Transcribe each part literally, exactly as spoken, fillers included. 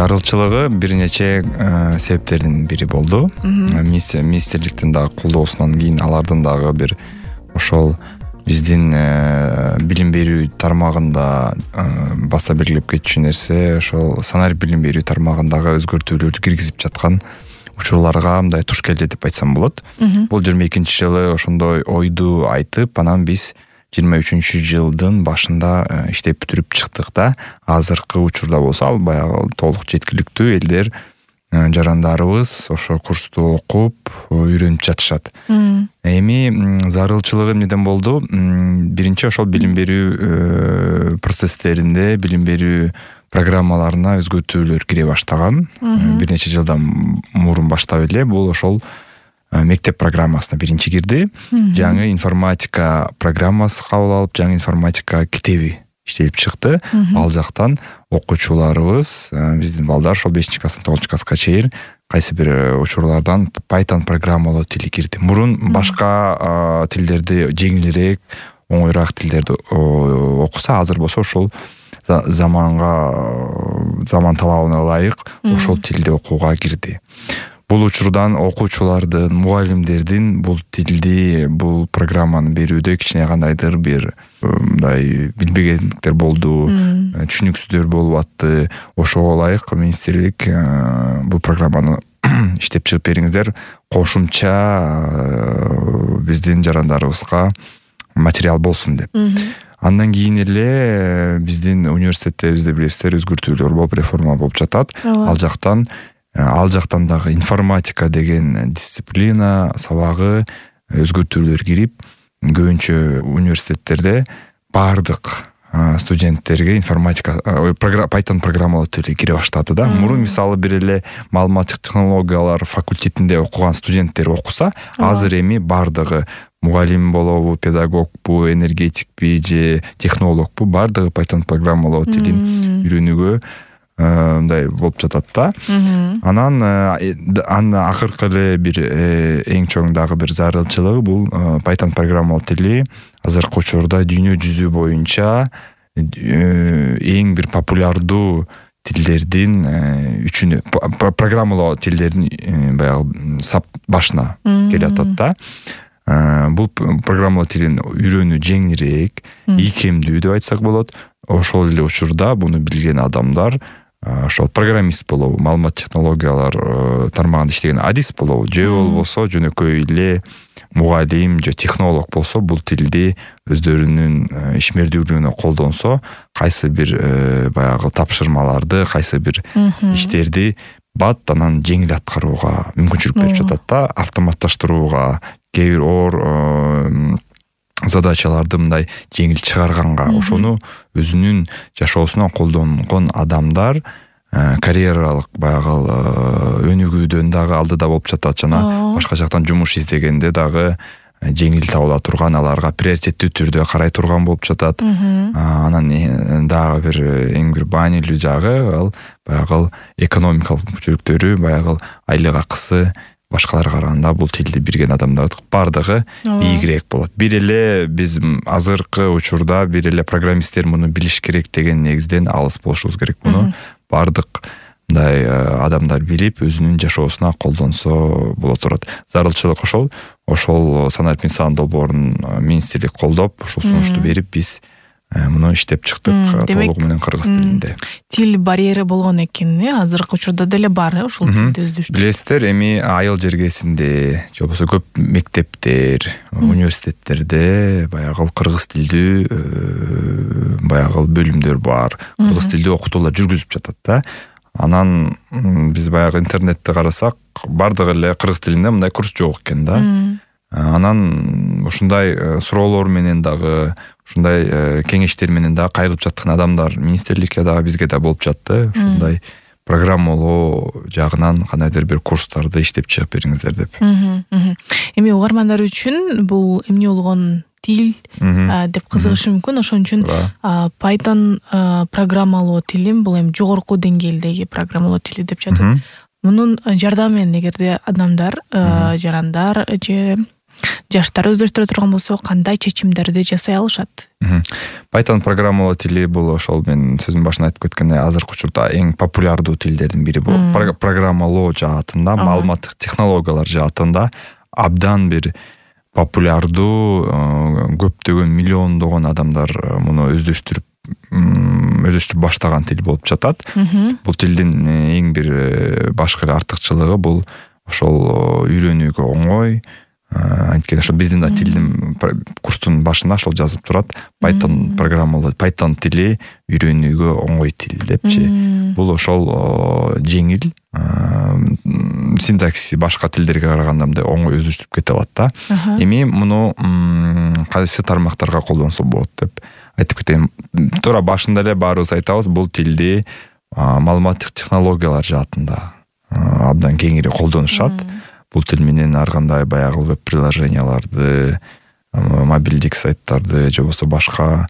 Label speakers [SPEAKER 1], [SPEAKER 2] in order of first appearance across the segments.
[SPEAKER 1] зарылчылыгы бир нече себептердин бири болду. Министрликтин дагы колдоосунан кийин алардын дагы бир ошол биздин билим берүү тармагында баса белгилеп кетчү нерсе ошол санарип билим берүү тармагындагы өзгөртүүлөрдү киргизип жаткан учурларга мындай туш келди деп айтсам болот. Бул жыйырма экинчи жылы ошондой ойду айтып, анан биз жыйырма үчүнчү жылдын башында иштеп бүтүрүп чыктык да. Азыркы учурда болсо ал баягы толук жеткиликтүү элдер, жарандарыбыз ошо курсту окуп, үйрөнүп жатышат. Эми зарылчылыгы эмнеден болду? Биринчи ошол билим берүү процесстеринде, билим берүү программаларына өзгөртүүлөр кире баштаган. Бир нече жылдан мурун баштап эле бул ошол мектеп программасына биринчи кирди. Жаңы информатика программасы кабыл алып, жаңы информатика китеби иштелип чыкты. Ал жактан окуучуларыбыз, биздин балдар ошол бешинчи класстан тогузунчу класска чейин кайсы бир учурлардан Python программалоо тили кирди. Мурун башка тилдерди жеңилирээк, оңоюраак тилдерди окуса, азыр болсо ошол заманга, заман талабына ылайык ошол тилди окууга кирди. Бул учурдан окуучулардын, мугалимдердин бул тилди, бул программаны берүүдө кичине кандайдыр бир мындай билбегендиктер болду, түшүнүксүздөр болуп атты. Ошого ылайык министрлик бул программаны иштеп чыгып бериңиздер, кошумча биздин жарандарыбызга материал болсун деп. Андан кийин эле биздин университетте, бизде билесиздер, өзгөртүүлөр болуп, реформа болуп жатат. Ал жактан Ал жактан дагы информатика деген дисциплина сабагы өзгөртүүлөр кирип, көбүнчө университеттерде бардык студенттерге информатика, Python программалоо тили кире баштады да. Мурун мисалы бир эле маалыматтык технологиялар факультетинде окуган студенттер окуса, азыр эми бардыгы мугалим болобу, педагогбу, энергетикпи же технологбу, бардыгы Python программалоо тилин үйрөнүүгө мындай болуп жатат да. Анан анын акыркы эле бир эң чоң дагы бир зарылчылыгы бул Python программалоо тили азыркы учурда дүйнө жүзү боюнча эң бир популярдуу тилдердин үчүнө, программалоо тилдердин баягы сап башына келе атат да. Бул программалоо тилин үйрөнүү жеңилирээк, ийкемдүү деп айтсак болот. Ошол эле учурда буну билген адамдар, ошол программист болобу, маалымат технологиялар тармагында иштеген адис болобу, же болбосо жөнөкөй эле мугалим же технолог болсо, бул тилди өздөрүнүн ишмердүүлүгүнө колдонсо, кайсы бир баягы тапшырмаларды, кайсы бир иштерди бат анан жеңил аткарууга мүмкүнчүлүк берип жатат да, автоматташтырууга, кээ бир оор задачаларды мындай жеңил чыгарганга, ошону өзүнүн жашоосуна колдонгон адамдар карьералык баягы өнүгүүдөн дагы алдыда болуп жатат. Жана башка жактан жумуш издегенде дагы жеңил табыла турган, аларга приоритеттүү түрдө карай турган болуп жатат. Анан дагы бир эң бир маанилүү жагы ал баягы экономикалык мүмкүнчүлүктөрү, баягы айлык акысы башкаларга караганда бул тилди билген адамдардын бардыгы ийгирээк болот. Бир эле биз азыркы учурда бир эле программисттер муну билиш керек деген негизден алыс болушубуз керек. Муну бардык мындай адамдар билип, өзүнүн жашоосуна колдонсо боло турат. Зарылчылык ошол, ошол санарип инсан долбоорун министрлик колдоп, ушул сунушту берип, биз муну иштеп чыктык толугу менен кыргыз тилинде.
[SPEAKER 2] Тил барьери болгон экен, азыркы учурда деле бар ошол тилди өздөштүрүү.
[SPEAKER 1] Билесиздер, эми айыл жергесинде, же болбосо көп мектептер, университеттерде баягы кыргыз тилдүү баягы бөлүмдөр бар. Кыргыз тилдүү окутуулар жүргүзүп жатат да. Анан биз баягы интернетте карасак, бардыгы эле кыргыз тилинде мындай курс жок экен да. Анан ушундай суроолор менен дагы, ушундай кеңештер менен дагы кайрылып жаткан адамдар министрликке дагы бизге да болуп жатты. Ушундай программалоо жагынан кандайдыр бир курстарды иштеп чыгып бериңиздер деп.
[SPEAKER 2] Эми угармандар үчүн бул эмне болгон тил деп кызыгышы мүмкүн. Ошон үчүн Python программалоо тили бул эми жогорку деңгээлдеги программалоо тили деп жатат. Мунун жардамы менен эгерде адамдар, жарандар же жаштар өздөштүрө турган болсо кандай чечимдерди жасай алышат?
[SPEAKER 1] Python программалоо тили бул ошол мен сөзүмдүн башында айтып кеткендей азыркы учурда эң популярдуу тилдердин бири болуп, программалоо жаатында, маалыматтык технологиялар жаатында абдан бир популярдуу, көптөгөн миллиондогон адамдар муну өздөштүрүп өздөштүрүп баштаган тил болуп жатат. Бул тилдин эң бир башкы эле артыкчылыгы бул ошол үйрөнүүгө оңой. Анткени ошо биздин да тилдин курстун башында ошол жазып турат. Python программалоо, Python тили үйрөнүүгө оңой тил депчи. Бул ошол жеңил, синтаксиси башка тилдерге караганда мындай оңой өздөштүрүп кете алат да. Эми муну кайсы тармактарга колдонсо болот деп айтып кетейин. Туура башында эле баарыбыз айтабыз, бул тилди маалыматтык технологиялар жаатында абдан кеңири колдонушат. Бул тил менен ар кандай баягы веб-приложенияларды, мобилдик сайттарды же болбосо башка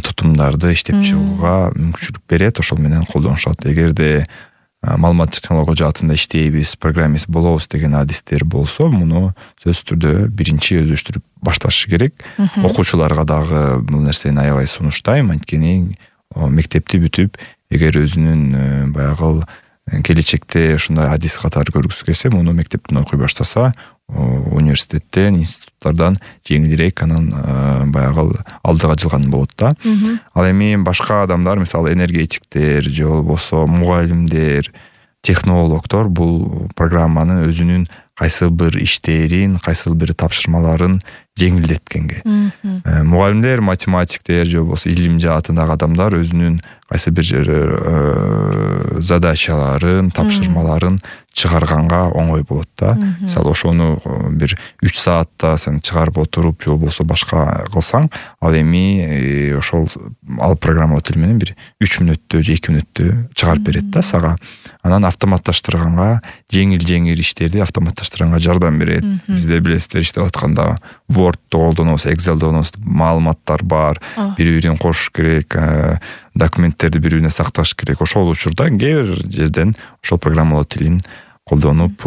[SPEAKER 1] тутумдарды иштеп чыгууга мүмкүнчүлүк берет, ошол менен колдонушат. Эгерде маалыматтык технология жаатында иштейбиз, программист болобуз деген адистер болсо, муну сөзсүз түрдө биринчи өздөштүрүп башташ керек. Окуучуларга дагы бул нерсени аябай сунуштайм, анткени мектепти бүтүп, эгер өзүнүн баягы келечекте ушундай адис катары көргүсү келсе, муну мектептен окуй баштаса, университеттен, институттардан жеңилирээк анан баягы алдыга жылган болот да. Ал эми башка адамдар, мисалы энергетиктер же болбосо мугалимдер, технологдор бул программанын өзүнүн кайсы бир иштерин, кайсы бир тапшырмаларын жеңилдеткенге. Мугалимдер, математиктер же болбосо илим жаатындагы адамдар өзүнүн кайсы бир задачаларын, тапшырмаларын чыгарганга оңой болот да. Мисалы ошону бир үч саатта сен чыгарып отуруп же болбосо башка кылсаң, ал эми ошол ал программа тил менен бир үч мүнөттө же эки мүнөттө чыгарып берет да сага. Анан автоматташтырганга, жеңил-жеңил иштерди автоматташтырганга жардам берет. Бизде билесиздер, иштеп атканда Word'ду колдонобуз, Excel'ди колдонобуз, маалыматтар бар, бири-бирин кошуш керек, документтерди бири-бирине сакташ керек. Ошол учурда кээ бир жерден ошол программалоо тилин колдонуп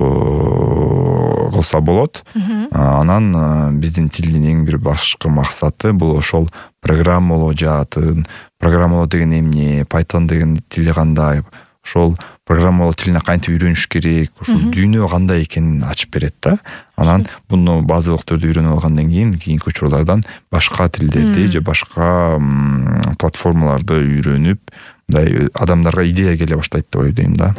[SPEAKER 1] кылса болот. Анан биздин тилдин эң бир башкы максаты бул ошол программалоо жаатын, программалоо деген эмне, Python деген тили кандай, ошол программалоо тилине кантип үйрөнүш керек, ошол дүйнө кандай экенин ачып берет да. Анан буну базалык түрдө үйрөнүп алгандан кийин кийинки учурлардан башка тилдерди же башка платформаларды үйрөнүп, мындай адамдарга идея келе баштайт деп ойлойм да.